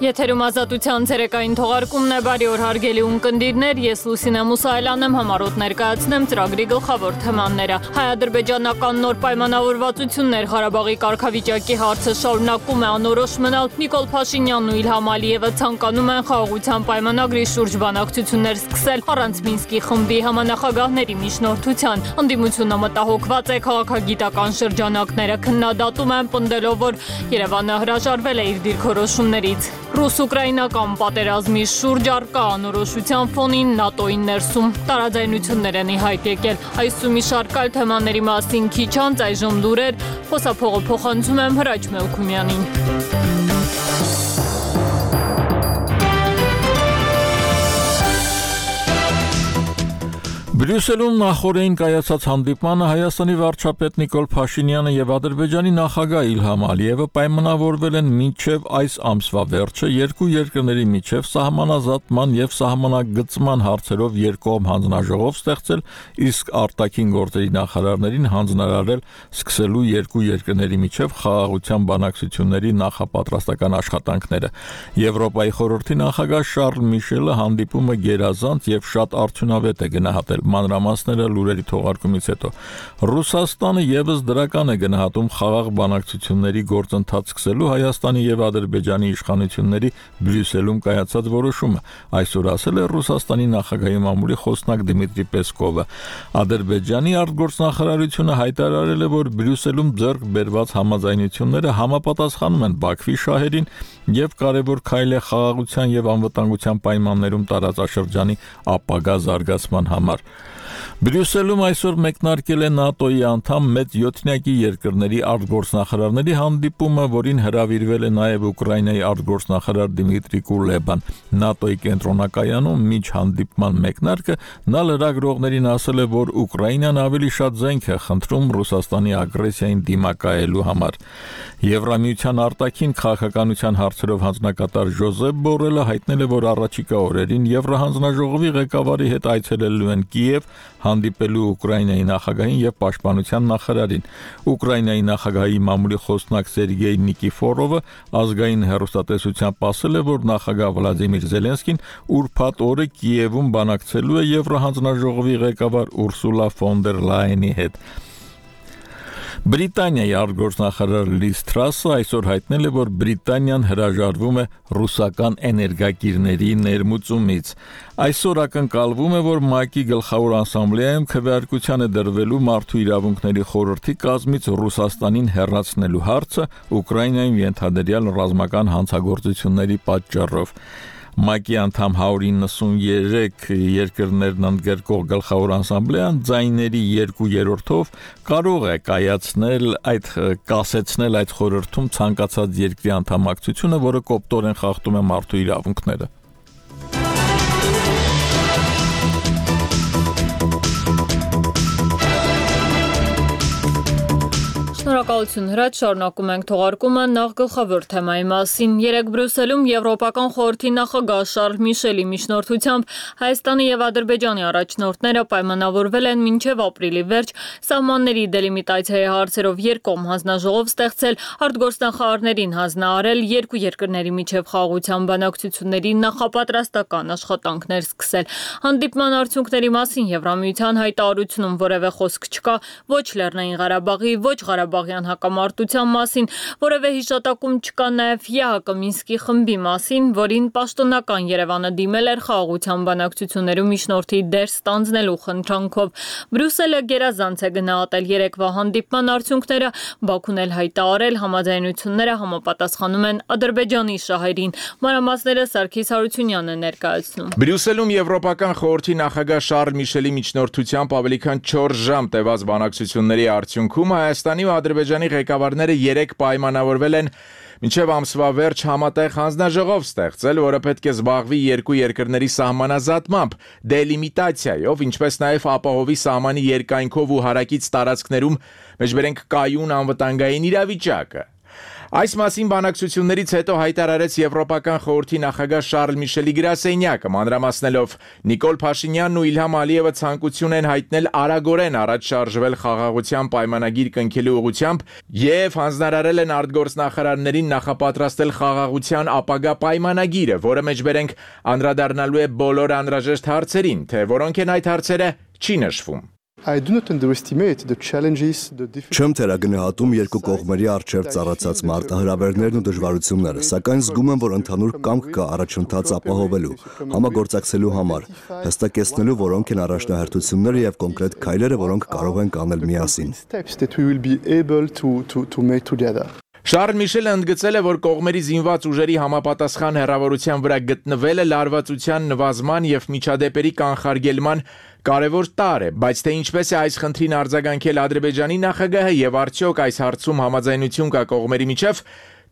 Եթերում ազատության ցերեկային թողարկումն է, բարի օր հարգելի ունկնդիրներ, ես Լուսինե Մուսայելյան եմ, համառոտ ներկայացնեմ ծրագրի գլխավոր թեմաները։ Հայ-ադրբեջանական նոր պայմանավորվածություններ, Ղարաբաղի կարգավիճակի հարցը շարունակում է անորոշ մնալ։ Նիկոլ Փաշինյանն ու Իլհամ Ալիևը ցանկանում են խաղաղության պայմանագրի շուրջ բանակցություններ սկսել առանց Մինսկի խմբի համանախագահների միջնորդության։ Ընդդիմությունը մտահոգված է, քաղաքագիտական շրջանակները քննադատում են, պնդելով, որ Երևանը հրաժարվել է իր դիրքորոշումներից։ Ռուս-ուկրաինական պատերազմի շուրջ առկա անորոշության ֆոնին ՆԱՏՕ-ի ներսում տարաձայնություններ են ի հայտ եկել։ Այս ու մի շարք այլ թեմաների մասին քիչ անց այժմ լուրեր, խոսափողը փոխանցում եմ Հրաչ Մելքումյանին։ Բրյուսելում նախօրեին կայացած հանդիպմանը Հայաստանի վարչապետ Նիկոլ Փաշինյանը եւ Ադրբեջանի նախագահ Իլհամ Ալիևը պայմանավորվել են մինչեւ այս ամսվա վերջը երկու երկրների միջև սահմանազատման եւ սահմանագծման հարցերով երկկողմ հանձնաժողով ստեղծել, իսկ արտաքին գործերի նախարարներին հանձնարարել սկսելու երկու երկրների միջև խաղաղության բանակցությունների նախապատրաստական աշխատանքները։ Եվրոպայի խորհրդի նախագահ Շարլ Միշելը հանդիպումը գերազանց եւ շատ արդյունավետ է գնահատել։ Մանրամասները լուրերի թողարկումից հետո Ռուսաստանը եւս դրական է գնահատում խաղաղ բանակցությունների գործընթաց սկսելու Հայաստանի եւ Ադրբեջանի իշխանությունների Բրյուսելում կայացած որոշումը, այսօր ասել է Ռուսաստանի նախագահի մամուլի խոսնակ Դմիտրի Պեսկովը։ Ադրբեջանի արտգործնախարարությունը հայտարարել է, որ Բրյուսելում ձեռք բերված համաձայնությունները համապատասխանում են Բաքվի շահերին եւ կարեւոր քայլ է խաղաղության եւ անվտանգության պայմաններում տարածաշրջանի ապագա զարգացման համար։ Բրյուսելում այսօր մեկնարկել է ՆԱՏՕ-ի անդամ մեծ 7-նյակի երկրների արտգործնախարարների հանդիպումը, որին հրավիրվել է նաև Ուկրաինայի արտգործնախարար Դմիտրի Կուլեբան։ ՆԱՏՕ-ի կենտրոնակայանում միջ հանդիպման մեկնարկը նա լրագրողներին ասել է, որ Ուկրաինան ավելի շատ զենք է խնդրում Ռուսաստանի ագրեսիային դիմակայելու համար։ Եվրամիության արտաքին քաղաքականության հարցերով հանձնակատար Ժոզեփ Բորելը հայտնել է, որ առաջիկա օրերին Եվրահանձնաժողովի ղեկավարի հետ այցելելու են Կիև, հանդիպելու Ուկրաինայի նախագահին եւ պաշտպանության նախարարին։ Ուկրաինայի նախագահի մամուլի խոսնակ Սերգեյ Նիկիֆորովը ազգային հեռուստատեսությամբ ասել է, որ նախագահ Վլադիմիր Զելենսկին ուրբաթ օրը Կիևում բանակցելու է Եվրահանձնաժողովի ղեկավար Ուրսուլա ֆոն դեր Լայենի հետ։ Բրիտանիայի արտգործնախարար Լիզ Թրասը այսօր հայտնել է, որ Բրիտանիան հրաժարվում է ռուսական էներգակիրների ներմուծումից։ Այսօր ակնկալվում է, որ ՄԱԿ-ի գլխավոր ասամբլեայում քվեարկության է դրվելու Մարդու իրավունքների խորհրդի կազմից Ռուսաստանին հեռացնելու հարցը Ուկրաինայում ենթադրյալ ռազմական հանցագործությունների պատճառով։ ՄԱԿ-ի անդամ 193 երկրներն ընդգրկող գլխավոր ասամբլեան ձայների 2/3-ով կարող է կասեցնել այդ խորհրդում ցանկացած երկրի անդամակցությունը, որը կոպտորեն խախտում է մարդու իրավունքները։ Շնորհակալություն Հրաչ, շարունակում ենք թողարկումը նախ գլխավոր թեմայի մասին։ Երեկ Բրյուսելում Եվրոպական խորհրդի նախագահ Շարլ Միշելի միջնորդությամբ Հայաստանի եւ Ադրբեջանի առաջնորդները պայմանավորվել են մինչեւ ապրիլի վերջ սահմանների դելիմիտացիայի հարցերով երկկողմ հանձնաժողով ստեղծել, արտգործնախարարներին հանձնարարել երկու երկրների միջև խաղաղության բանակցությունների նախապատրաստական աշխատանքներ սկսել։ Հանդիպման արդյունքների մասին Եվրամիության հայտարարությունում որևէ խոսք չկա ոչ Լեռնային Ղարաբաղի, ոչ Ղարաբաղյան հակամարտության մասին, որևէ հիշատակում չկա նաև ԵԱՀԿ Մինսկի խմբի մասին, որին պաշտոնական Երևանը դիմել էր խաղաղության բանակցություններում միջնորդի դեր ստանձնելու խնդրանքով։ Բրյուսելը գերազանց է գնահատել երեկվա հանդիպման արդյունքները, Բաքուն էլ հայտարարել համաձայնությունները համապատասխանում են Ադրբեջանի շահերին։ Մանրամասները Սարգիս Հարությունյանն է ներկայացնում։ Բրյուսելում Եվրոպական խորհրդի նախագահ Շարլ Միշելի միջնորդությամբ ավելի քան 4 ժամ տևած բանակցությունների արդյունքում Հայաստանի ու Ադրբեջանի ղեկավարները երեք պայմանավորվել են մինչև ամսվա վերջ համատեղ հանձնաժողով ստեղծել, որը պետք է զբաղվի երկու երկրների սահմանազատմամբ, դելիմիտացիայով, ինչպես նաև ապահովի սահմանի երկայնքով ու հարակից տարածքներում մեջբերենք կայուն անվտանգային իրավիճակը։ Այս մասին բանակցություններից հետո հայտարարեց Եվրոպական խորհրդի նախագահ Շարլ Միշելի գրասենյակը, մանրամասնելով Նիկոլ Փաշինյանն ու Իլհամ Ալիևը ցանկություն են հայտնել արագորեն առաջ շարժվել խաղաղության պայմանագիր կնքելու ուղղությամբ եւ հանձնարարել են արտգործնախարարներին նախապատրաստել խաղաղության ապագա պայմանագիրը, որը մեջբերենք անդրադառնալու է բոլոր անհրաժեշտ հարցերին, թե որոնք են այդ հարցերը չի նշվում։ Չեմ թերագնահատում երկու կողմերի առջև ծառացած մարտահրավերներն ու դժվարությունները, սակայն զգում եմ, որ ընդհանուր կամք կա առաջընթաց ապահովելու, համագործակցելու համար, հստակեցնելու որոնք են առաջնահերթությունները եւ կոնկրետ քայլերը, որոնք կարող ենք անել միասին։ Շարլ Միշելը ընդգծել է, որ կողմերի զինված ուժերի համապատասխան հեռավորության վրա գտնվելը լարվածության նվազման եւ միջադեպերի կանխարգելման կարևոր տարր է, բայց թե ինչպես է այս խնդրին արձագանքել Ադրբեջանի նախագահը եւ արդյոք այս հարցում համաձայնություն կա կողմերի միջև,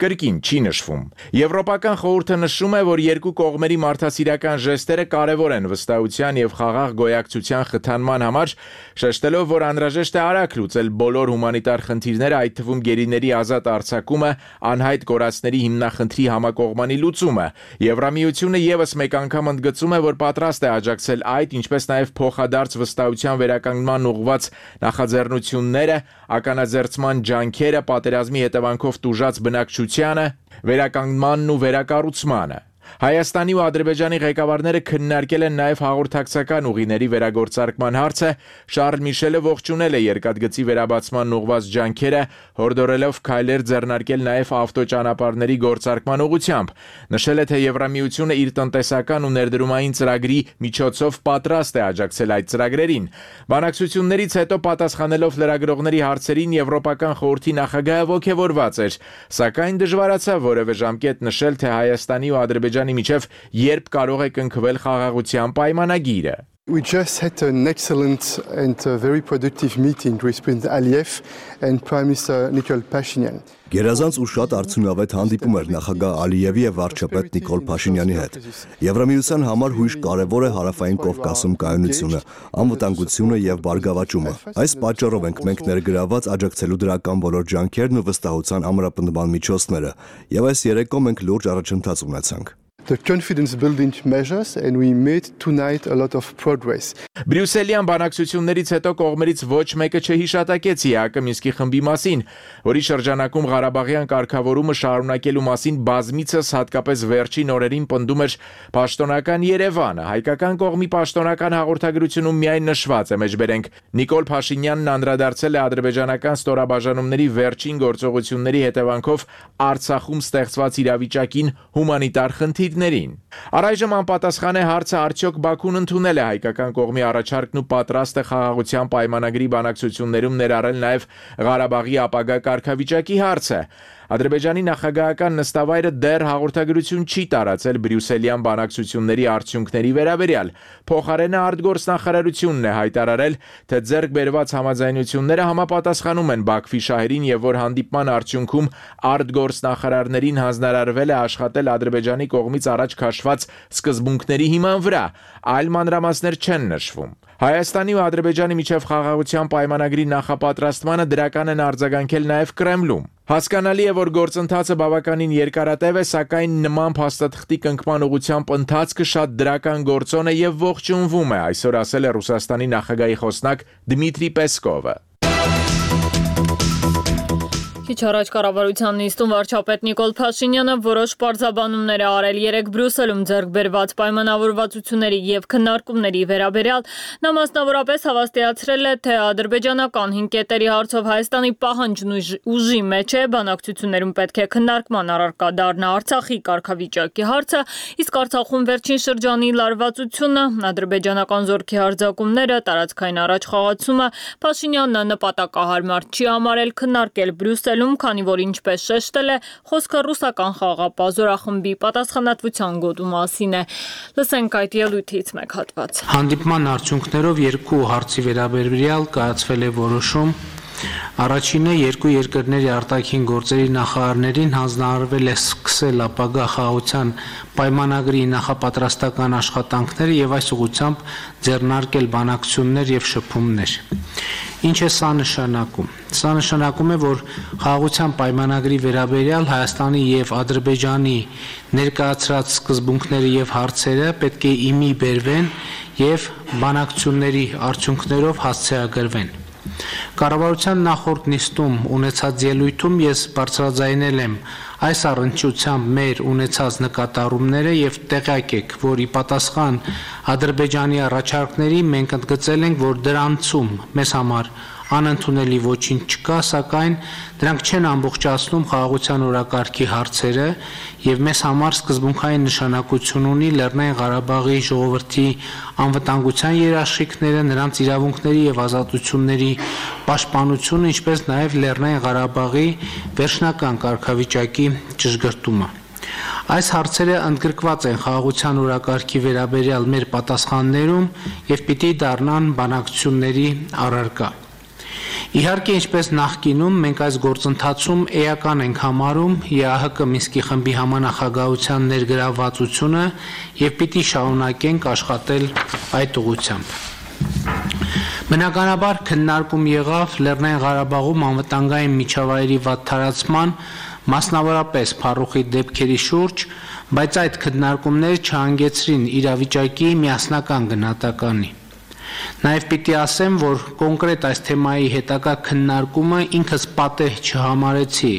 կրկին չի նշվում։ Եվրոպական խորհուրդը նշում է, որ երկու կողմերի մարդասիրական ժեստերը կարևոր են վստահության եւ խաղաղ գոյակցության խթանման համար, շեշտելով, որ անհրաժեշտ է արագ լուծել բոլոր հումանիտար խնդիրները, այդ թվում գերիների ազատ արձակումը, անհայտ կորածների հիմնախնդրի համակողմանի լուծումը։ Եվրամիությունը եւս մեկ անգամ ընդգծում է, որ պատրաստ է աջակցել այդ, ինչպես նաեւ փոխադարձ վստահության վերականգնման ուղղված նախաձեռնությունները, ականաձերծման ջանքերը, պատերազմի հետևանքով տուժած բնակչությանը, վերականգնմանն ու վերակառուցմանը։ Հայաստանի ու Ադրբեջանի ղեկավարները քննարկել են նաև հաղորդակցական ուղիների վերագործարկման հարցը, Շարլ Միշելը ողջունել է երկաթգծի վերաբացման ուղղված ջանքերը, հորդորելով քայլեր ձեռնարկել նաև ավտոճանապարհների գործարկման ուղղությամբ։ Նշել է, թե Եվրամիությունը իր տնտեսական ու ներդրումային ծրագրի միջոցով պատրաստ է աջակցել այդ ծրագրերին։ Բանակցություններից հետո պատասխանելով լրագրողների հարցերին Եվրոպական խորհրդի նախագահը ողջավորված էր, սակայն դժվարացավ որևէ ժամկետ նշել, թե Հայաստանի ու Ադրբեջանի միջև երբ կարող է կնքվել խաղաղության պայմանագիրը։ We just had an excellent and very productive meeting with President Aliyev and Prime Minister Nikol Pashinyan. Գերազանց ու շատ արդյունավետ հանդիպում էր նախագահ Ալիևի եւ վարչապետ Նիկոլ Փաշինյանի հետ։ Եվրամիության համար հույժ կարևոր է հարավային Կովկասում կայունությունը, անվտանգությունը եւ բարգավաճումը։ Այս պատճառով ենք մենք ներգրաված աջակցելու դրական բոլոր ջանքերն ու վստահության ամրապնդման միջոցները, եւ այս երեկո մենք լուրջ առաջընթաց ունեցանք։ The confidence building measures and we made tonight a lot of progress. Բրյուսելյան բանակցություններից հետո կողմերից ոչ մեկը չհիշատակեց ԵԱԿ Մինսկի խմբի մասին, որի շրջանակում Ղարաբաղյան կարգավորումը շարունակելու մասին բազմիցս հատկապես վերջին օրերին պնդում էր պաշտոնական Երևանը։ Հայկական կողմի պաշտոնական հաղորդագրությունում միայն նշված է, մեջբերենք Նիկոլ Փաշինյանն անդրադարձել է ադրբեջանական ստորաբաժանումների վերջին գործողությունների հետևանքով Արցախում ստեղծված իրավիճակին, հումանիտար խնդիրներին։ Առայժմ անպատասխան է հարցը, արդյոք Բաքուն ընդունել է հայկական կողմի առաջարկն ու պատրաստ է խաղաղության պայմանագրի բանակցություններում ներառել նաև Ղարաբաղի ապագա կարգավիճակի հարցը։ Ադրբեջանի նախագահական նստավայրը դեռ հաղորդագրություն չի տարածել բրյուսելյան բանակցությունների արդյունքների վերաբերյալ։ Փոխարենը արտգործնախարարությունն է հայտարարել, թե ձեռք բերված համաձայնությունները համապատասխանում են Բաքվի շահերին եւ որ հանդիպման արդյունքում արտգործնախարարներին հանձնարարվել է աշխատել Ադրբեջանի կողմից առաջ քաշված սկզբունքների հիման վրա, այլ մանրամասներ չեն նշվում։ Հայաստանի ու Ադրբեջանի միջև խաղաղության պայմանագրի նախապատրաստմանը դրական են արձագանքել նաև Կրեմլում։ Հասկանալի է, որ գործընթացը բավականին երկարատև է, սակայն նման փաստաթղթի կնքման ուղղությամբ ընթացքը շատ դրական գործոն է եւ ողջունվում է, այսօր ասել է Ռուսաստանի նախագահի խոսնակ Դմիտրի Պեսկովը։ Քիչ առաջ կառավարության նիստում վարչապետ Նիկոլ Փաշինյանը որոշ պարզաբանումներ է արել երեք Բրյուսելում ձեռք բերված պայմանավորվածությունների եւ քննարկումների վերաբերյալ։ Նա մասնավորապես հավաստիացրել է, թե ադրբեջանական 5 կետերի հարցով Հայաստանի պահանջն ուժի մեջ է, բանակցություններում պետք է քննարկման առարկա դառնա Արցախի կարգավիճակի հարցը, իսկ Արցախում վերջին շրջանի լարվածությունը, ադրբեջանական զորքի հարձակումները, տարածքային առաջխաղացումը Փաշինյանն նպատակահարմար չի համարել քննարկել Բրյուսելում, քանի որ ինչպես շեշտել է, խոսքը ռուսական խաղապահ զորախմբի պատասխանատվության գոտու մասին է։ Լսենք այդ ելույթից մեկ հատված։ Հանդիպման արդյունքներով երկու հարցի վերաբերյալ կայացվել է որոշում Առաջինը երկու երկրների արտաքին գործերի նախարարներին հանձնարարվել է սկսել ապագա խաղաղության պայմանագրի նախապատրաստական աշխատանքները եւ այս ուղղությամբ ձեռնարկել բանակցություններ եւ շփումներ։ Ինչ է սա նշանակում։ Սա նշանակում է, որ խաղաղության պայմանագրի վերաբերյալ Հայաստանի եւ Ադրբեջանի ներկայացրած սկզբունքները եւ հարցերը պետք է իմի բերվեն եւ բանակցությունների արդյունքներով հասցեագրվեն։ Կառավարության նախորդ նիստում ունեցած ելույթում ես բարձրաձայնել եմ այս առնչությամբ մեր ունեցած նկատառումները եւ տեղյակ եք, որ ի պատասխան Ադրբեջանի առաջարկների մենք ընդգծել ենք, որ դրանցում մեզ համար անընդունելի ոչինչ չկա, սակայն դրանք չեն ամբողջացնում խաղաղության օրակարգի հարցերը եւ մեզ համար սկզբունքային նշանակություն ունի Լեռնային Ղարաբաղի ժողովրդի անվտանգության երաշխիքները, նրանց իրավունքների եւ ազատությունների պաշտպանությունը, ինչպես նաեւ Լեռնային Ղարաբաղի վերջնական կարգավիճակի ճշգրտումը։ Այս հարցերը ընդգրկված են խաղաղության օրակարգի վերաբերյալ մեր պատասխաններում եւ պիտի դառնան բանակցությունների առարկա։ Իհարկե, ինչպես նախկինում, մենք այս գործընթացում էական ենք համարում ԵԱՀԿ Մինսկի խմբի համանախագահության ներգրավվածությունը եւ պիտի շարունակենք աշխատել այդ ուղղությամբ։ Բնականաբար քննարկում եղավ Լեռնային Ղարաբաղում անվտանգային միջավայրի վատթարացման, մասնավորապես փառուխի դեպքերի շուրջ, բայց այդ քննարկումները չհանգեցրին իրավիճակի միասնական գնահատականի։ Նաև պիտի ասեմ, որ կոնկրետ այս թեմայի հետագա քննարկումը ինքս պատեհ չհամարեցի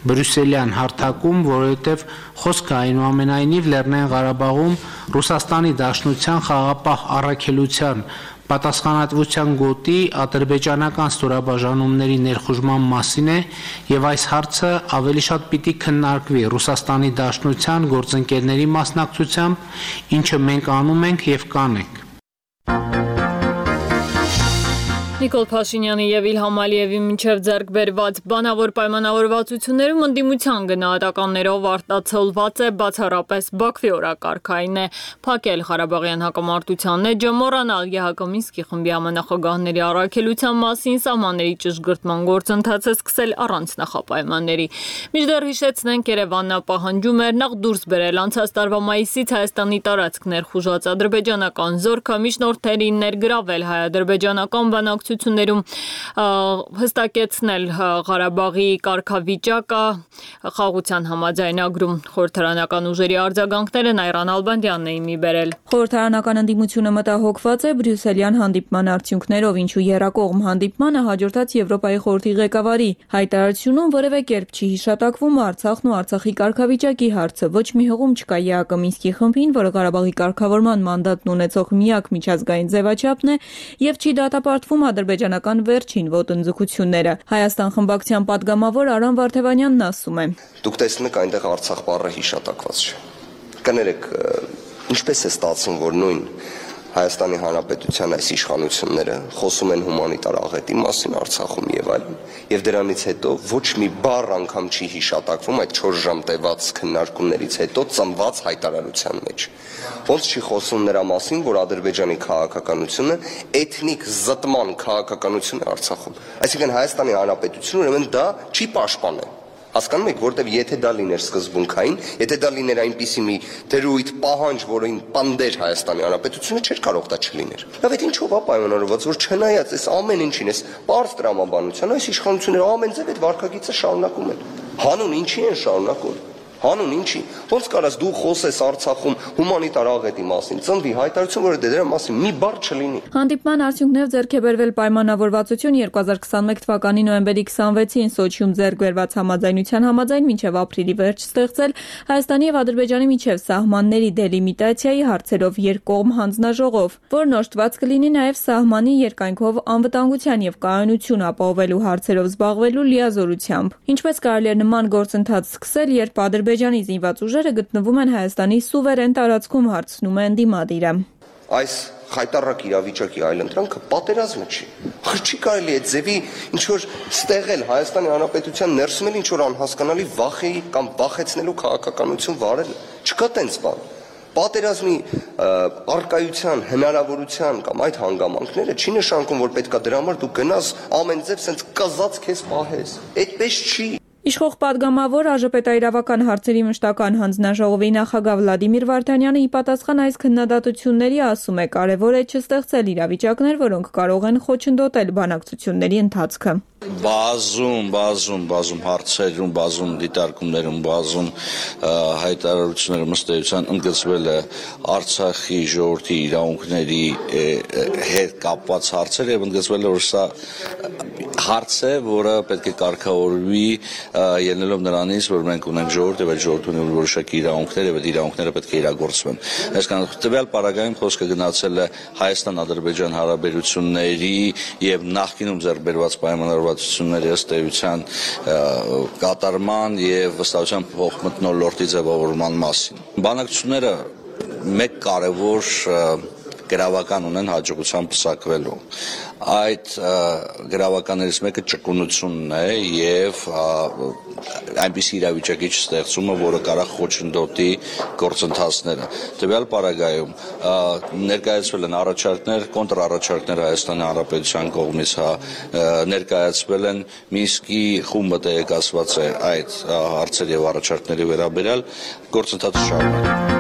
բրյուսելյան հարթակում, որովհետև խոսքը այնուամենայնիվ Լեռնային Ղարաբաղում Ռուսաստանի Դաշնության խաղաղապահ առաքելության պատասխանատվության գոտի ադրբեջանական ստորաբաժանումների ներխուժման մասին է եւ այս հարցը ավելի շատ պիտի քննարկվի Ռուսաստանի Դաշնության գործընկերների մասնակցությամբ, ինչը մենք անում ենք եւ կանենք։ Նիկոլ Փաշինյանի եւ Իլհամ Ալիևի միջև ձեռք բերված բանավոր պայմանավորվածություններում ընդդիմության գնահատականներով արտացոլված է բացառապես Բաքվի օրակարգային է փակել Ղարաբաղյան հակամարտությանն է ջմոռանալ ԵԱՀԿ Մինսկի խմբի համանախագահների առաքելության մասին սահմանների ճշգրտման գործընթացը սկսել առանց նախապայմանների։ Մինչդեռ հիշեցնենք, Երևանն պահանջում էր նախ դուրս բերել անցած տարվա մայիսից Հայաստանի տարածք ներխուժած ադրբեջանական զորքը միջնորդներին ներգրավել հայ-ադրբեջանական բանակցություններում հստակեցնել Ղարաբաղի կարգավիճակը խաղաղության համաձայնագրում խորհրդարանական ուժերի արձագանքները Նայրան Ալբանդյանն է իմի բերել։ Խորհրդարանական ընդդիմությունը մտահոգված է բրյուսելյան հանդիպման արդյունքներով, ինչու եռակողմ հանդիպմանը հաջորդած Եվրոպայի խորհրդի ղեկավարի հայտարարությունում որևէ կերպ չի հիշատակվում Արցախն ու Արցախի կարգավիճակի հարցը, ոչ մի հղում չկա ԵԱՀԿ Մինսկի խմբին, որը Ղարաբաղի կարգավորման մանդատն ունեցող միակ միջազգային ձևաչափն է եւ չի դատապարտվում ադրբեջանական վերջին ոտնձգությունները։ Հայաստան խմբակցության падգամավոր Արամ Վարդևանյանն ասում է. Դուք տեսնում եք այնտեղ Արցախ բառը հիշատակված չէ։ Կներեք, ինչպես է ստացվում, որ նույն Հայաստանի Հանրապետության այս իշխանությունները խոսում են հումանիտար աղետի մասին Արցախում եւ այլն, եւ դրանից հետո ոչ մի բառ անգամ չի հիշատակվում այդ 4 ժամ տևած քննարկումներից հետո ծնված հայտարարության մեջ։ Ոնց չի խոսում նրա մասին, որ Ադրբեջանի քաղաքականությունը էթնիկ զտման քաղաքականություն է Արցախում։ Այսինքն Հայաստանի Հանրապետությունը ուրեմն դա չի պաշտպանել։ Հասկանում եք, որտեվ եթե դա լիներ սկզբունքային, եթե դա լիներ այնպիսի մի դրույթ պահանջ, որին պանդեր Հայաստանի Հանրապետությունը չէր կարող դա չլիներ։ Լավ, այդ ինչով է պայմանավորված, որ չնայած այս ամեն ինչին, այս պարզ տրամաբանության, այս իշխանությունները ամեն ձև այդ վարկագիծը շարունակում են։ Հանուն ինչի են շարունակում։ Հանուն ինչի։ Ոնց կարաս դու խոսես Արցախում հումանիտար աղետի մասին, ծնվի հայտարարություն, որ դրա մասին մի բառ չլինի։ Հանդիպման արդյունքներով ձեռք է բերվել պայմանավորվածություն 2021 թվականի նոյեմբերի 26-ին Սոչիում ձեռք բերված համաձայնության համաձայն մինչև ապրիլի վերջ ստեղծել Հայաստանի եւ Ադրբեջանի միջև սահմանների դելիմիտացիայի հարցերով երկկողմ հանձնաժողով, որն օժտված կլինի նաեւ սահմանի երկայնքով անվտանգության եւ կայունություն ապահովելու հարցերով զբաղվելու լիազորությամբ։ Ինչպես կարելի է նման գործընթաց սկսել, երբ Ադրբեջանի զինված ուժերը գտնվում են Հայաստանի սուվերեն տարածքում, հարցնում է ընդդիմադիրը։ Այս խայտառակ իրավիճակի այլընտրանքը պատերազմը չի։ Չի կարելի այդ ձևի ինչ որ ստեղել Հայաստանի Հանրապետության ներսում էլ ինչ որ անհասկանալի վախի կամ վախեցնելու քաղաքականություն վարել։ Չկա տենց բան։ Պատերազմի արկայության, հնարավորության կամ այդ հանգամանքները չի նշանակում, որ պետքա դրա համար դու գնաս ամեն ձև սենց կզած քեզ պահես։ Այդպես չի։ Իշխող падգամավոր ԱԺՊՏ-իրավական հարցերի մշտական հանձնաժողովի նախագահ Վլադիմիր Վարդանյանը ի պատասխան այս քննադատությունների ասում է կարևոր է չստեղծել իրավիճակներ, որոնք կարող են խոչընդոտել բանակցությունների ընթացքը։ Բազում հարցերում, բազում դիտարկումներում, բազում հայտարարություններում ըստ էության ընդգծվել է Արցախի ժողովրդի իրավունքների հետ կապված հարցեր եւ ընդգծվել է, որ սա հարց է, որը պետք է կարգավորվի ելնելով նրանից, որ մենք ունենք ժողովուրդ եւ այդ ժողովուրդը ունի որոշակի իրավունքներ եւ այդ իրավունքները պետք է իրագործվեն։ Այսինքն տվյալ պարագայում խոսքը գնացել է Հայաստան-Ադրբեջան հարաբերությունների եւ նախկինում ձեռք բերված պայմանավորվածությունների ըստ էության կատարման եւ վստահության փոխմթնոլորտի ձևավորման մասին։ Բանակցությունները մեկ կարևոր գրավական ունեն հաջողությամբ պսակվելու։ Այդ գրավականներից մեկը ճկունությունն է եւ այնպիսի իրավիճակի չստեղծումը, որը կարող խոչընդոտի գործընթացները։ Տվյալ պարագայում ներկայացվել են առաջարկներ, կոնտրառաջարկներ Հայաստանի Հանրապետության կողմից, ներկայացվել են Մինսկի խումբը տեղեկացված է այդ հարցերի եւ առաջարկների վերաբերյալ գործընթացը շարունակվում։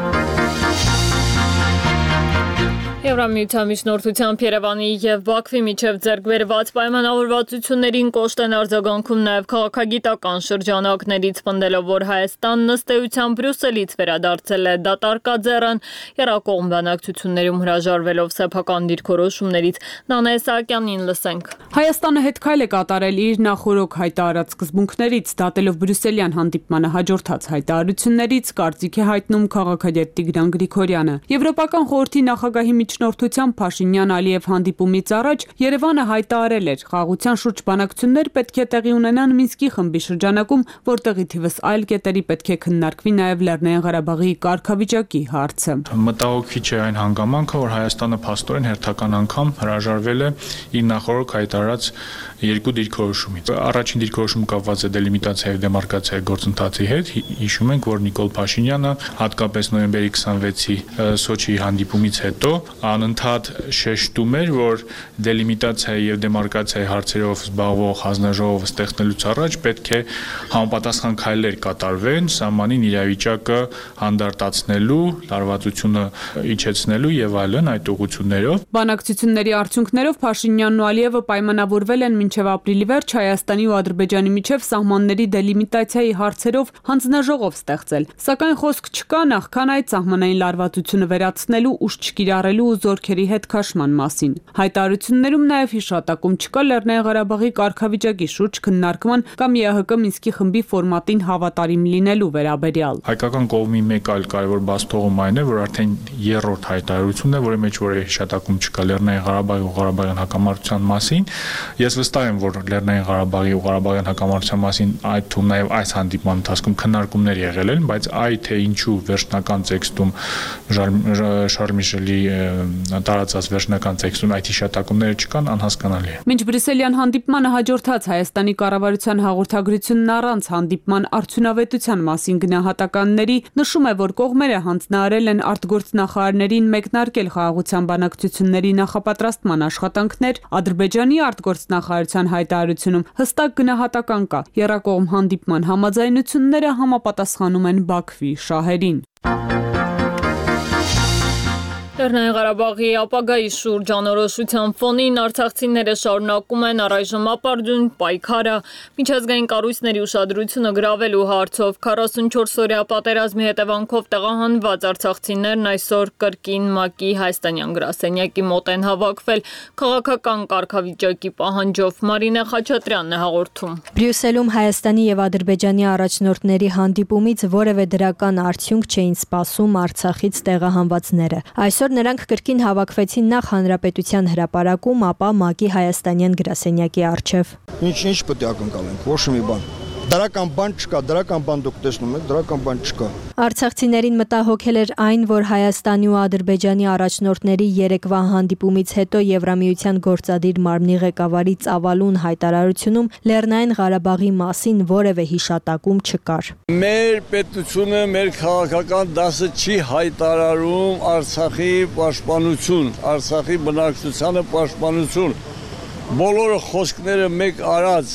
Եվրամիության միջնորդությամբ Երևանի եւ Բաքվի միջև ձեռք բերված պայմանավորվածություններին կոշտ են արձագանքում նաեւ քաղաքագիտական շրջանակներից, պնդելով, որ Հայաստանն ըստ էության Բրյուսելից վերադարձել է դատարկաձեռն, երկկողմ բանակցություններում հրաժարվելով սեփական դիրքորոշումներից։ Նանե Սահակյանին լսենք։ Հայաստանը հետքայլ է կատարել իր նախորոք հայտարարած սկզբունքներից, դատելով Բրյուսելյան հանդիպմանը հաջորդած հայտարարություններից, կարծիք է հայտնում քաղաքագետ Տիգրան Գրիգորյանը։ Եվրոպական խորհրդի նախագահի միջնորդությամբ Փաշինյան-Ալիև հանդիպումից առաջ Երևանը հայտարարել էր, խաղաղության շուրջ բանակցություններ պետք է տեղի ունենան Մինսկի խմբի շրջանակում, որտեղի թիվս այլ կետերի պետք է քննարկվի նաև Լեռնային Ղարաբաղի կարգավիճակի հարցը։ Մտահոգիչ է այն հանգամանքը, որ Հայաստանը փաստորեն հերթական անգամ հրաժարվել է իր նախորդ հայտարարած երկու դիրքորոշումից։ Առաջին դիրքորոշումը կապված է դելիմիտացիայի եւ դեմարկացիայի գործընթացի հետ։ Հիշում ենք, որ Նիկոլ Փաշինյանը հատկապես նոյեմբերի 26-ի Սոչիի հանդիպումից հետո անընդհատ շեշտում էր, որ դելիմիտացիայի եւ դեմարկացիայի հարցերով զբաղվող հանձնաժողովը ստեղծելուց առաջ պետք է համապատասխան քայլեր կատարվեն սահմանին իրավիճակը հանդարտացնելու, լարվածությունը իջեցնելու եւ այլն այդ ուղղություններով։ Բանակցությունների արդյունքներով Փաշինյանն ու Ալիևը պայմանավորվել են մինչև ապրիլի վերջ Հայաստանի ու Ադրբեջանի միջև սահմանների դելիմիտացիայի հարցերով հանձնաժողով ստեղծել։ Սակայն խոսք չկա նախքան այդ սահմանային լարվածությունը վերացնելու, ուժ չկիրառելու ու զորքերի հետ քաշման մասին։ Հայտարարություններում նաև հիշատակում չկա Լեռնային Ղարաբաղի կարգավիճակի շուրջ քննարկման կամ ԵԱՀԿ Մինսկի խմբի ֆորմատին հավատարիմ լինելու վերաբերյալ։ Հայկական կողմի մեկ այլ կարևոր բացթողում այն է, որ արդեն երրորդ հայտարարությունն է, որի մեջ որևէ հիշատակում չկա Լեռնային Ղարաբաղի ու Ղարաբաղյան հակամարտության մասին։ Ես վստահ եմ, որ Լեռնային Ղարաբաղի ու Ղարաբաղյան հակամարտության մասին այդ թվում նաև այս հանդիպման ընթացքում քննարկումներ եղել են, բայց այ թե ինչու վերջնական տեքստում Շարլ Միշելի տարածած վերջնական տեքստում այդ հիշատակումները չկան, անհասկանալի է։ Մինչ Բրյուսելյան հանդիպմանը հաջորդած Հայաստանի կառավարության հաղորդագրությունն առանց հանդիպման արդյունավետության մասին գնահատականների նշում է, որ կողմերը հանձնարարել են արտգործնախարարներին մեկնարկել խաղաղության բանակցությունների նախապատրաստման աշխատանքներ, Ադրբեջանի արտգործնախարարության հայտարարությունում հստակ գնահատական կա, երկկողմ հանդիպման համաձայնությունները համապատասխանում են Բաքվի շահերին։ Լեռնային Ղարաբաղի ապագայի շուրջ անորոշության ֆոնին արցախցիները շարունակում են առայժմ ապարդյուն պայքարը միջազգային կառույցների ուշադրությունը գրավելու հարցով 44-օրյա պատերազմի հետևանքով տեղահանված արցախցիներն այսօր կրկին ՄԱԿ-ի հայաստանյան գրասենյակի մոտ են հավաքվել քաղաքական կարգավիճակի պահանջով։ Մարինե Խաչատրյանն է հաղորդում։ Բրյուսելում Հայաստանի եւ Ադրբեջանի առաջնորդների հանդիպումից որևէ դրական արդյունք չէին սպասում Արցախից տեղահանվածները։ Այսօր նրանք կրկին հավաքվեցին նախ Հանրապետության հրապարակում, ապա ՄԱԿ-ի հայաստանյան գրասենյակի առջև։ Ինչ պետք է ակնկալենք, ոչ մի բան։ Դրական բան չկա, դրական բան դուք տեսնում եք, դրական բան չկա։ Արցախցիներին մտահոգել էր այն, որ Հայաստանի ու Ադրբեջանի առաջնորդների երեկվա հանդիպումից հետո Եվրամիության գործադիր մարմնի ղեկավարի ծավալուն հայտարարությունում Լեռնային Ղարաբաղի մասին որևէ հիշատակում չկար։ Մեր պետությունը, մեր քաղաքական դասը չի հայտարարում Արցախի պաշտպանություն, Արցախի բնակչությանը պաշտպանություն։ Բոլոր խոսքները մեկ արած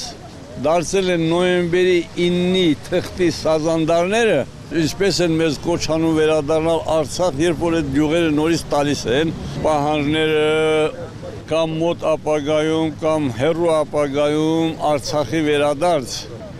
դարձել են նոյեմբերի 9-ի թղթի սազանդարները, ինչպես են մեզ կոչանում վերադառնալ Արցախ, երբ որ այդ գյուղերը նորից տալիս են, պահանջները կամ մոտ ապագայում, կամ հեռու ապագայում Արցախի վերադարձ,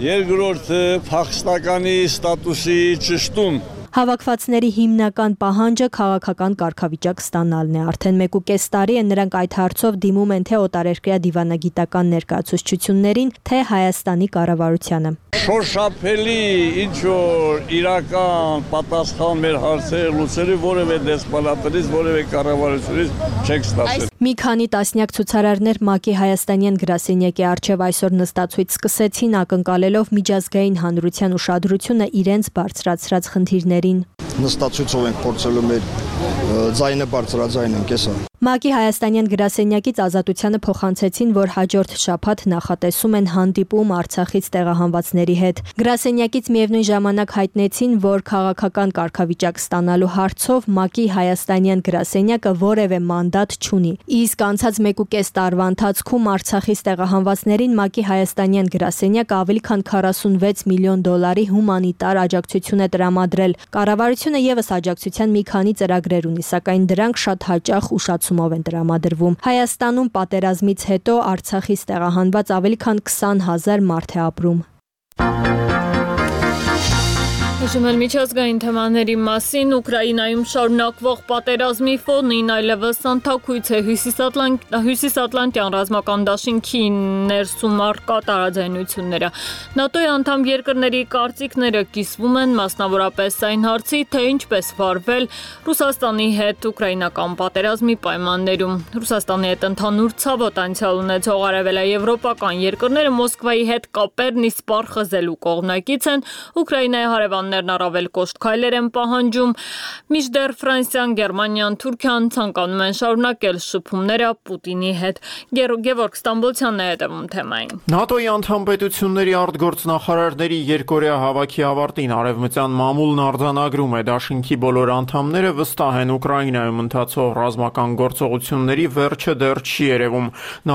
երկրորդը փախստականի ստատուսի ճշտում։ Հավաքվածների հիմնական պահանջը քաղաքական կարգավիճակ ստանալն է։ Արդեն 1.5 տարի է նրանք այդ հարցով դիմում են թե օտարերկրյա դիվանագիտական ներկայացուցչություններին, թե Հայաստանի կառավարությանը։ Շոշափելի ինչ որ իրական պատասխան մեր հարցերը լուծելու որևէ դեսպանատներից, որևէ կառավարությունից չեք ստացել։ Մի քանի տասնյակ ցուցարարներ ՄԱԿ-ի հայաստանյան գրասենյակի առջև այսօր նստածույց սկսեցին ակնկալելով միջազգային հանրության ուշադրությունը իրենց բարձրացրած խնդիրներին։ Նստածույցով ենք փորձելու մեր ձայնը բարձրաձայնենք, էսա։ ՄԱԿ-ի հայաստանյան գրասենյակից Ազատությանը փոխանցեցին, որ հաջորդ շաբաթ նախատեսում են հանդիպում Արցախից տեղահանվածների հետ։ Գրասենյակից միևնույն ժամանակ հայտնեցին, որ քաղաքական կարգավիճակ ստանալու հարցով ՄԱԿ-ի հայաստանյան գրասենյակը որևէ մանդատ չունի։ Իսկ անցած 1.5 տարվա ընթացքում Արցախից տեղահանվածներին ՄԱԿ-ի հայաստանյան գրասենյակը ավելի քան 46 միլիոն դոլարի հումանիտար աջակցություն է տրամադրել։ Կառավարությունը եւս աջակցության մի քանի ծրագրեր ունի, սակայն դրանք շատ հաճախ ուշացումով են տրամադրվում։ Հայաստանում պատերազմից հետո Արցախից տեղահանված ավելի քան 20,000 մարդ է ապրում։ Հիշում միջազգային թեմաների մասին Ուկրաինայում շարունակվող պատերազմի ֆոնին այլևս անթաքույց է հյուսիսատլանտյան ռազմական դաշինքի ներսում առկա տարաձայնությունները։ ՆԱՏՕ-ի անդամ երկրների կարծիքները կիսվում են մասնավորապես այն հարցի, թե ինչպես վարվել Ռուսաստանի հետ ուկրաինական պատերազմի պայմաններում։ Ռուսաստանի հետ ընդհանուր ցավոտ անցյալ ունեցող արևելաեվրոպական երկրները Մոսկվայի հետ կապերն իսպառ խզելու կողմնակից են, Ուկրաինայի հարևաններն առավել կոշտ քայլեր են պահանջում, մինչդեռ Ֆրանսիան, Գերմանիան, Թուրքիան ցանկանում են շարունակել շփումները Պուտինի հետ։ Գևորգ Ստամբոլցյանն է հետևում թեմային։ ՆԱՏՕ-ի անդամ պետությունների արտգործնախարարների երկօրյա հավաքի ավարտին արևմտյան մամուլն արձանագրում է դաշինքի բոլոր անդամները վստահ են Ուկրաինայում ընթացող ռազմական գործողությունների վերջը դեռ չի երևում։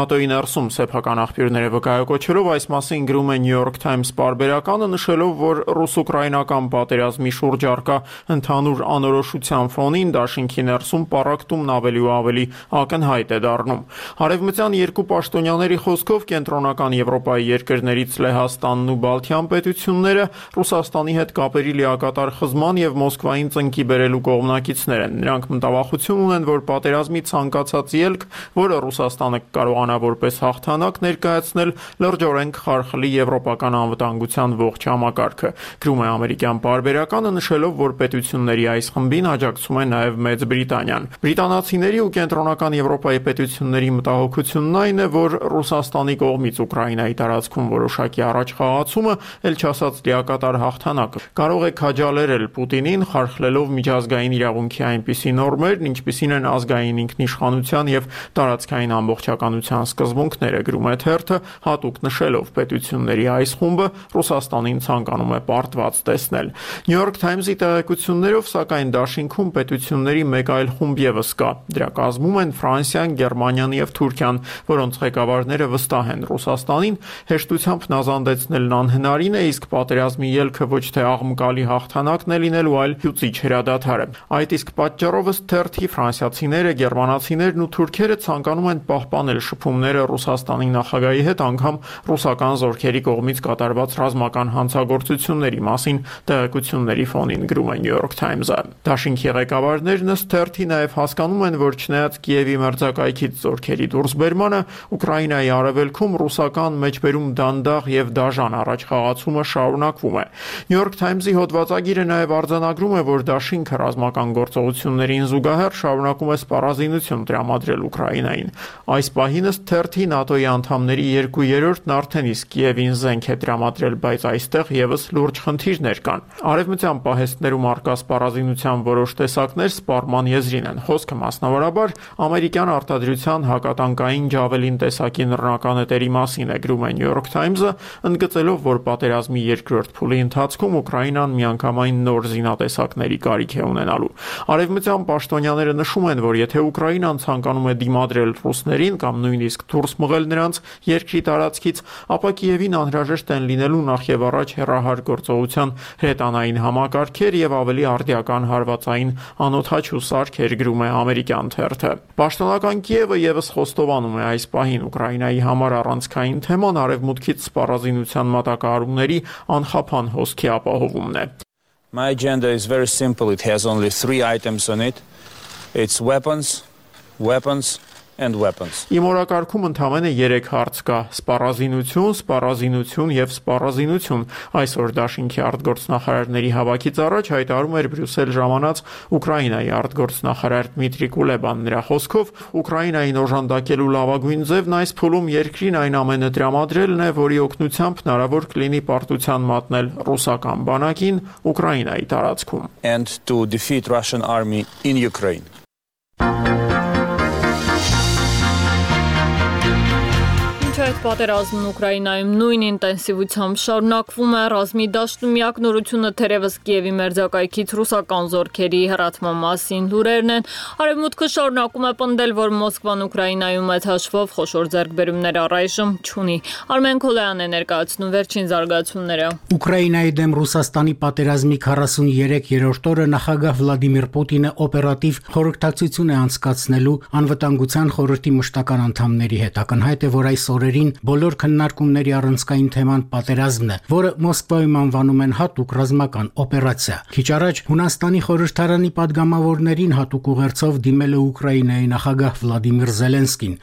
ՆԱՏՕ-ի ներսում սեփական աղբյուրները վկայակոչելով այս մասին գրում է New York Times պարբերականը, նշելով, որ ռուս-ուկրաինական պատերազմի շուրջ առկա ընդհանուր անորոշության ֆոնին դաշինքի ներսում պառակտումն ավելի ու ավելի ակնհայտ է դառնում։ Արևմտյան երկու պաշտոնյաների խոսքով կենտրոնական Եվրոպայի երկրներից Լեհաստանն ու Բալթյան պետությունները Ռուսաստանի հետ կապերի լիակատար խզման եւ Մոսկվային ծնկի բերելու կողմնակիցներ են։ Նրանք մտավախություն ունեն, որ պատերազմի ցանկացած ելք, որը Ռուսաստանը կարողանա որպես հաղթանակ ներկայացնել, լրջորեն կխարխլի եվրոպական անվտանգության ողջ համակարգը։ Գրում է ամերիկյան պարբերականը, նշելով, որ պետությունների այս խմբին աջակցում է նաև Մեծ Բրիտանիան։ Բրիտանացիների ու կենտրոնական Եվրոպայի պետությունների մտահոգությունն այն է, որ Ռուսաստանի կողմից Ուկրաինայի տարածքում որոշակի առաջխաղացումը, ել չասած լիակատար հաղթանակը, կարող է քաջալերել Պուտինին, խարխլելով միջազգային իրավունքի այնպիսի նորմեր, ինչպիսին են ազգային ինքնիշխանության եւ տարածքային ամբողջականության սկզբունքները, գրում է թերթը, հատուկ նշելով պետությունների այս խումբը Ռուսաստանին ցանկանում է պարտված տեսնել։ New York Times-ի տեղեկություններով, սակայն դաշինքում պետությունների մեկ այլ խումբ եւս կա։ Դրա կազմում են Ֆրանսիան, Գերմանիան եւ Թուրքիան, որոնց ղեկավարները վստահ են Ռուսաստանին հեշտությամբ նազանդեցնելն անհնարին է, իսկ պատերազմի ելքը ոչ թե աղմկալի հաղթանակն է լինելու, այլ հյուծիչ հրադադարը։ Այդ իսկ պատճառով ըստ թերթի ֆրանսիացիները, գերմանացիներն ու թուրքերը ցանկանում են պահպանել շփումները Ռուսաստանի նախագահի հետ, անգամ ռուսական զորքերի կողմից կատարված ռազմական հանցագործությունների մասին Տեղեկությունների ֆոնին գրում է New York Times-ը։ Դաշինքի ղեկավարներն ըստ թերթի նաև հասկանում են, որ չնայած Կիևի մերձակայքից զորքերի դուրսբերմանը, Ուկրաինայի արևելքում ռուսական մեջբերում դանդաղ եւ դաժան առաջխաղացումը շարունակվում է։ New York Times-ի հոդվածագիրը նաև արձանագրում է, որ դաշինքը ռազմական գործողություններին զուգահեռ շարունակում է սպառազինություն տրամադրել Ուկրաինային։ Այս պահին ըստ թերթի ՆԱՏՕ-ի անդամների 2/3-ն արդեն իսկ Կիևին զենք է տրամադրել, բայց այստեղ եւս լուրջ խնդիրներ կան։ Արևմտյան պահեստներում արկա սպառազինության որոշ տեսակներ սպառման եզրին են։ Խոսքը մասնավորաբար ամերիկյան արտադրության հակատանկային ջավելին տեսակի նռնականետերի մասին է, գրում է New York Times-ը, ընդգծելով, որ պատերազմի երկրորդ փուլի ընթացքում Ուկրաինան միանգամայն նոր զինատեսակների կարիք է ունենալու։ Արևմտյան պաշտոնյաները նշում են, որ եթե Ուկրաինան ցանկանում է դիմադրել ռուսներին կամ նույնիսկ դուրս մղել նրանց երկրի տարածքից, ապա Կիևին անհրաժեշտ են լինելու նախ եւ առաջ հեռահար գործողության հրետանային համակարգեր եւ ավելի արդիական հարվածային անօդաչու սարքեր, գրում է ամերիկյան թերթը։ Պաշտոնական Կիևը եւս խոստովանում է այս պահին Ուկրաինայի համար առանցքային թեման արևմուտքից սպառազինության մատակարարումների անխափան հոսքի ապահովումն է։ My agenda is very simple. It has only 3 items on it. It's weapons, weapons and weapons. Իմ օրակարգում ընդամենը 3 հարց կա՝ սպառազինություն, սպառազինություն եւ սպառազինություն։ Այսօր Դաշինքի արտգործնախարարների հավաքից առաջ հայտարարում էր Բրյուսել ժամանած Ուկրաինայի արտգործնախարար Դմիտրի Կուլեբան։ Նրա խոսքով Ուկրաինային օժանդակելու լավագույն ձևն այս փուլում երկրին այն ամենը տրամադրելն է, որի օգնությամբ հնարավոր կլինի պարտության մատնել ռուսական բանակին Ուկրաինայի տարածքում։ And to defeat Russian army in Ukraine. Այդ պատերազմն Ուկրաինայում նույն ինտենսիվությամբ շարունակվում է։ Ռազմի դաշտում միակ նորությունը թերևս Կիևի մերձակայքից ռուսական զորքերի հեռացման մասին լուրերն են։ Արևմուտքը շարունակում է պնդել, որ Մոսկվան Ուկրաինայում այդ հաշվով խոշոր ձեռքբերումներ առայժմ չունի։ Արմեն Քոլյանն է ներկայացնում վերջին զարգացումները։ Ուկրաինայի դեմ Ռուսաստանի պատերազմի 43-րդ օրը նախագահ Վլադիմիր Պուտինը օպերատիվ խորհրդակցություն է անցկացնելու անվտանգության խորհրդի մշտական անդամների հետ։ Ակնհայտ է, որ այս օրերին բոլոր քննարկումների առանցքային թեման պատերազմն է, որը Մոսկվայում անվանում են հատուկ ռազմական օպերացիա։ Քիչ առաջ Հունաստանի խորհրդարանի падգամավորներին հատուկ ուղերձով դիմել է Ուկրաինայի նախագահ Վլադիմիր Զելենսկին։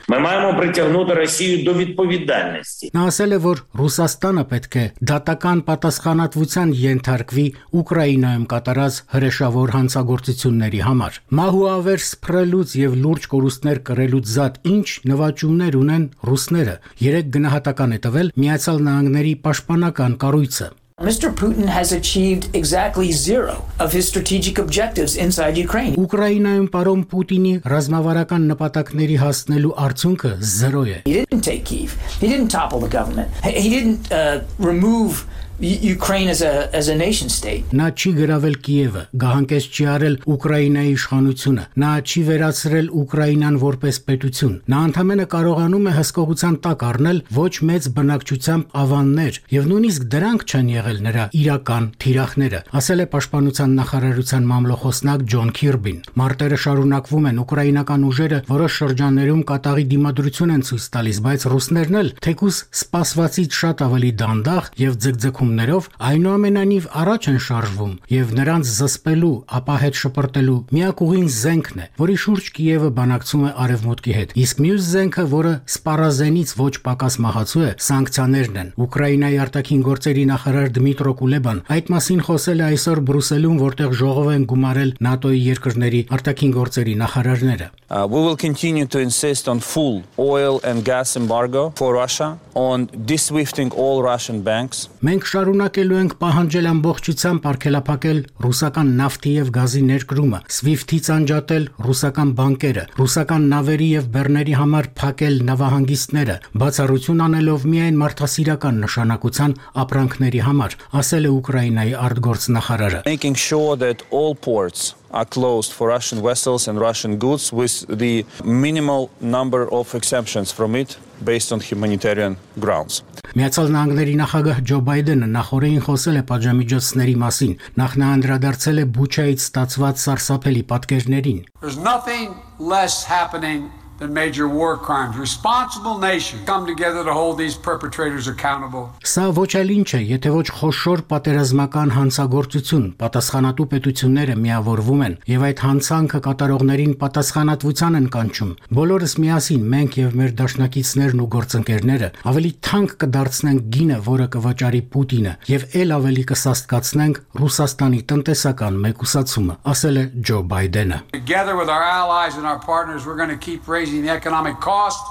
Նա ասել է, որ Ռուսաստանը պետք է դատական պատասխանատվության ենթարկվի Ուկրաինայում կատարած հրեշավոր հանցագործությունների համար։ Մահու ավեր սփռելուց եւ լուրջ կորուստներ կրելուց զատ ինչ նվաճումներ ունեն ռուսները։ Երեք գնահատական է տվել Միացյալ Նահանգների պաշտպանական կառույցը։ Mr. Putin has achieved exactly 0 of his strategic objectives inside Ukraine. Ուկրաինայում պարոն Պուտինի ռազմավարական նպատակների հասնելու արդյունքը 0 է։ He didn't take Kyiv. He didn't topple the government. He didn't remove Ukraine as a nation state. Նա չի գրավել Կիևը, գահանկեց չի արել Ուկրաինայի իշխանությունը, նա չի վերացրել Ուկրաինան որպես պետություն։ Նա ընդամենը կարողանում է հսկողության տակ առնել ոչ մեծ բնակչությամբ ավաններ, եւ նույնիսկ դրանք չեն եղել նրա իրական թիրախները, ասել է պաշտպանության նախարարության մամլոխոսնակ Ջոն Քիրբին։ Մարտերը շարունակվում են, ուկրաինական ուժերը որոշ շրջաններում կատաղի դիմադրություն են ցույց տալիս, բայց ռուսներն էլ թեկուզ սպասվածից շատ ավելի դանդաղ եւ ձգձգում այնուամենայնիվ առաջ են շարժվում եւ նրանց զսպելու, ապա հետ շպրտելու միակ ուղին զենքն է, որի շուրջ Կիևը բանակցում է արևմուտքի հետ։ Իսկ մյուս զենքը, որը սպառազենից ոչ պակաս մահացու է, սանկցիաներն են։ Ուկրաինայի արտաքին գործերի նախարար Դմիտրո Կուլեբան այդ մասին խոսել է այսօր Բրյուսելում, որտեղ ժողով են գումարել ՆԱՏՕ-ի երկրների արտաքին գործերի նախարարները։ We will continue to insist on full oil and gas embargo for Russia, on de-swifting all Russian banks. Մենք շարունակելու ենք պահանջել ամբողջությամբ արգելափակել ռուսական նավթի եւ գազի ներկրումը, SWIFT-ից անջատել ռուսական բանկերը, ռուսական նավերի եւ բեռների համար փակել նավահանգիստները, բացառություն անելով միայն մարդասիրական նշանակության ապրանքների համար, ասել է Ուկրաինայի արտգործնախարարը։ Making sure that all ports are closed for Russian vessels and Russian goods with the minimal number of exemptions from it based on humanitarian grounds. Միացյալ Նահանգների նախագահ Ջո Բայդենը նախորդին խոսել է պատժամիջոցների մասին, նախ նա անդրադարձել է Բուչայից ստացված սարսափելի պատկերներին։ There's nothing less happening than major war crimes. Responsible nations come together to hold these perpetrators accountable. Սա ոչ այլ ինչ է, եթե ոչ խոշոր պատերազմական հանցագործություն, պատասխանատու պետությունները միավորվում են եւ այդ հանցանքը կատարողներին պատասխանատվության են կանչում։ Բոլորս միասին մենք եւ մեր դաշնակիցներն ու գործընկերները ավելի թանկ կդարձնենք գինը, որը կվաճառի Պուտինը, եւ ել ավելի կսաստկացնենք Ռուսաստանի տնտեսական մեկուսացումը, ասել է Ջո Բայդենը։ Together with our allies and our partners, we're going to keep raising the economic cost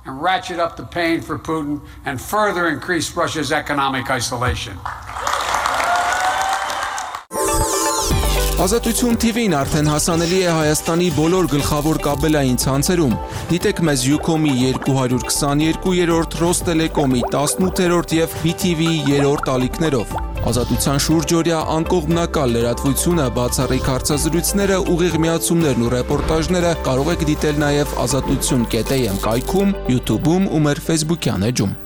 and ratchet up the pain for Putin and further increase Russia's economic isolation. Ազատություն TV-ն արդեն հասանելի է Հայաստանի բոլոր գլխավոր կաբելային ցանցերում։ Դիտեք մեզ Ucom-ի 222-րդ, Ռոստելեկոմի 18-րդ եւ BTV-ի 3-րդ ալիքներով։ Ազատության շուրջօրյա անկողմնակալ լրատվությունը, բացառիկ հարցազրույցները, ուղիղ միացումներն ու ռեպորտաժները կարող եք դիտել նաև azatutsun.am կայքում, YouTube-ում ու մեր Facebook-յան էջում։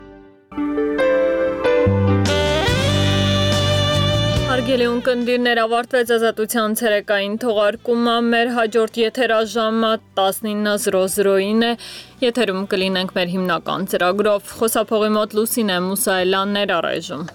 Հարգելի ունկնդիրներ, ավարտվեց ազատության ցերեկային թողարկումը, մեր հաջորդ եթերաժամը 19:00-ին է, եթերում կլինենք մեր հիմնական ծրագրով, խոսափողի մոտ Լուսինե Մուսայելյանն էր առայժմ։